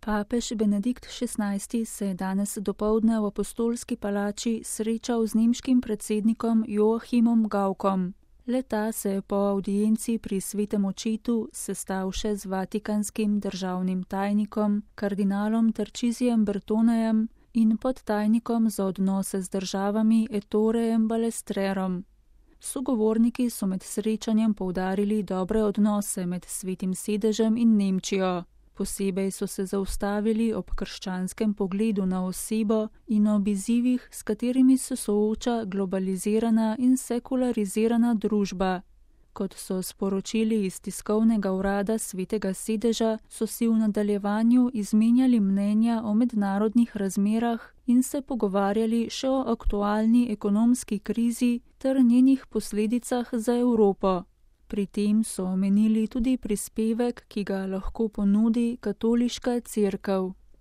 Papež Benedikt XVI se je danes dopoldne v Apostolski palači srečal z nemškim predsednikom Joachimom Gauckom. Le-ta se je po avdienci pri Svetem očetu sestal še z vatikanskim državnim tajnikom, kardinalom Tarcisijem Bertonejem in podtajnikom za odnose z državami Ettorejem Balestrerom. Sogovorniki so med srečanjem poudarili dobre odnose med Svetim sedežem in Nemčijo. Posebej so se zaustavili ob krščanskem pogledu na osebo in ob izzivih, s katerimi se sooča globalizirana in sekularizirana družba. Kot so sporočili iz tiskovnega urada Svetega sedeža, so si v nadaljevanju izmenjali mnenja o mednarodnih razmerah in se pogovarjali še o aktualni ekonomski krizi ter njenih posledicah za Evropo. Pri tem so omenili tudi prispevek, ki ga lahko ponudi katoliška cerkev.